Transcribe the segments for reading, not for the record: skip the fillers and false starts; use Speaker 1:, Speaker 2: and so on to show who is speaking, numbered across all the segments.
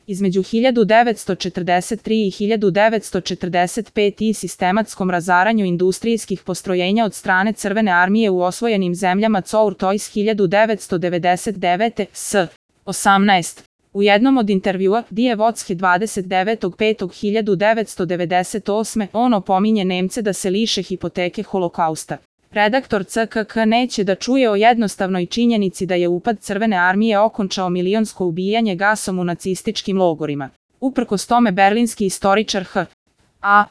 Speaker 1: Između 1943 i 1945 i sistematskom razaranju industrijskih postrojenja od strane Crvene armije u osvojenim zemljama Cour Tois 1999. s. 18. U jednom od intervjua Die Wotske 29.5.1998. on opominje Nemce da se liše hipoteke holokausta. Redaktor CKK neće da čuje o jednostavnoj činjenici da je upad Crvene armije okončao milionsko ubijanje gasom u nacističkim logorima. Uprkos tome berlinski istoričar H.A.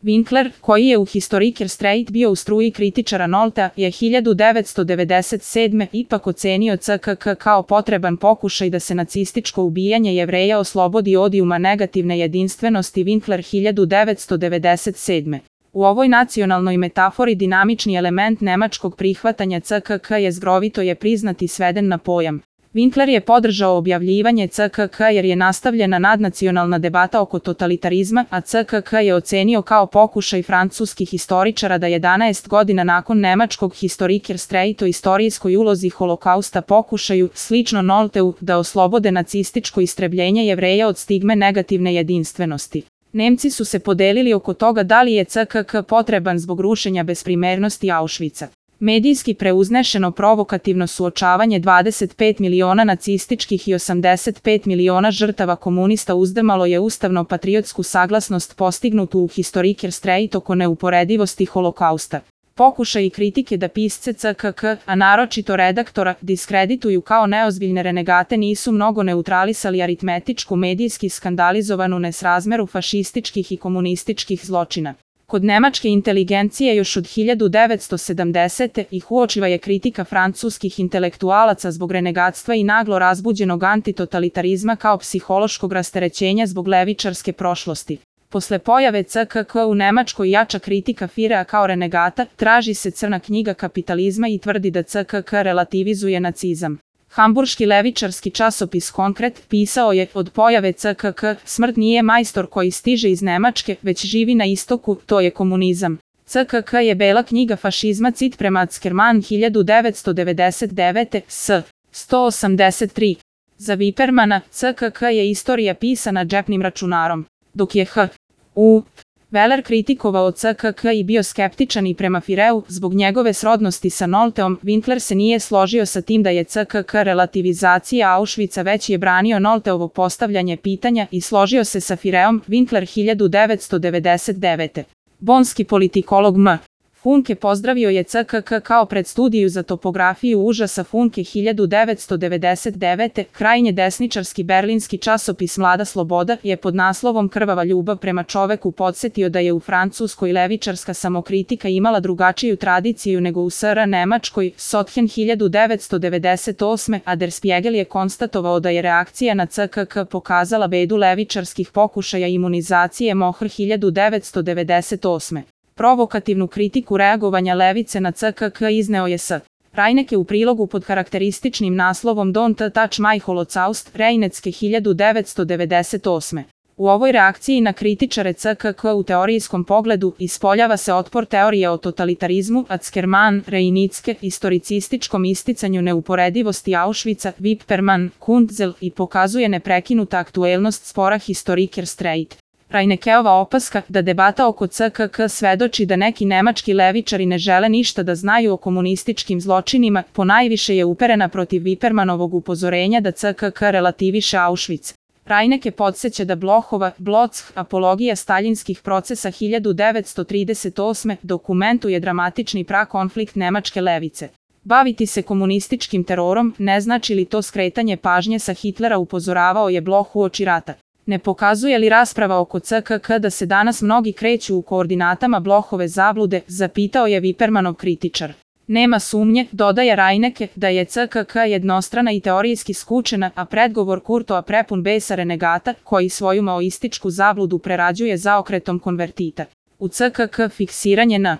Speaker 1: Winkler, koji je u Historiker Streit bio u struji kritičara Noltea, je 1997. ipak ocenio CKK kao potreban pokušaj da se nacističko ubijanje Jevreja oslobodi odijuma negativne jedinstvenosti. Winkler 1997. U ovoj nacionalnoj metafori dinamični element nemačkog prihvatanja CKK jezgrovito je priznat i sveden na pojam. Winkler je podržao objavljivanje CKK jer je nastavljena nadnacionalna debata oko totalitarizma, a CKK je ocenio kao pokušaj francuskih historičara da 11 godina nakon nemačkog Historiker Streit o istorijskoj ulozi holokausta pokušaju, slično Nolteu, da oslobode nacističko istrebljenje Jevreja od stigme negativne jedinstvenosti. Nemci su se podelili oko toga da li je CKK potreban zbog rušenja besprimernosti Auschwitza. Medijski preuznešeno provokativno suočavanje 25 miliona nacističkih i 85 miliona žrtava komunista uzdrmalo je ustavno-patriotsku saglasnost postignutu u Historiker Streit oko neuporedivosti holokausta. Pokušaj i kritike da pisce CKK, a naročito redaktora, diskredituju kao neozbiljne renegate nisu mnogo neutralisali aritmetičku medijski skandalizovanu nesrazmeru fašističkih i komunističkih zločina. Kod nemačke inteligencije još od 1970. ih uočiva je kritika francuskih intelektualaca zbog renegatstva i naglo razbuđenog antitotalitarizma kao psihološkog rasterećenja zbog levičarske prošlosti. Posle pojave CKK u Nemačkoj jača kritika Führera kao renegata, traži se crna knjiga kapitalizma i tvrdi da CKK relativizuje nacizam. Hamburški levičarski časopis Konkret pisao je: od pojave CKK, smrt nije majstor koji stiže iz Nemačke, već živi na istoku, to je komunizam. CKK je bela knjiga fašizma cit prema Ackermann 1999. s. 183. Za Wippermana, CKK je istorija pisana džepnim računarom. Dok je H.U. Weller kritikovao CKK i bio skeptičan i prema Führeu zbog njegove srodnosti sa Nolteom, Winkler se nije složio sa tim da je CKK relativizacija Auschwitza, već je branio Nolteovo postavljanje pitanja i složio se sa Führerom. Winkler 1999. Bonski politikolog M. Funke pozdravio je CKK kao predstudiju za topografiju užasa. Funke 1999. Krajnje desničarski berlinski časopis Mlada sloboda je pod naslovom Krvava ljubav prema čoveku podsjetio da je u Francuskoj levičarska samokritika imala drugačiju tradiciju nego u SR Nemačkoj. Sothen 1998. a Der Spiegel je konstatovao da je reakcija na CKK pokazala bedu levičarskih pokušaja imunizacije. Mohr 1998. Provokativnu kritiku reagovanja levice na CKK izneo je S. Reinecke u prilogu pod karakterističnim naslovom Don't Touch My Holocaust, Reinecke 1998. U ovoj reakciji na kritičare CKK u teorijskom pogledu ispoljava se otpor teorije o totalitarizmu, Ackermann, Reinicke, historicističkom isticanju neuporedivosti Auschwitza, Wippermann, Kuntzel i pokazuje neprekinuta aktuelnost spora Historiker Streit. Reineckeova opaska da debata oko CKK svedoči da neki nemački levičari ne žele ništa da znaju o komunističkim zločinima, ponajviše je uperena protiv Wippermanovog upozorenja da CKK relativiše Auschwitz. Reinecke podsjeća da Blochova Bloch, apologija staljinskih procesa 1938. dokumentuje dramatični prakonflikt nemačke levice. Baviti se komunističkim terorom ne znači li to skretanje pažnje sa Hitlera, upozoravao je Bloch uoči rata. Ne pokazuje li rasprava oko CKK da se danas mnogi kreću u koordinatama Blochove zablude, zapitao je Wippermanov kritičar. Nema sumnje, dodaje Reinecke, da je CKK jednostrana i teorijski skučena, a predgovor Kurtoa prepun besa renegata, koji svoju maoističku zabludu prerađuje zaokretom konvertita. U CKK fiksiranje na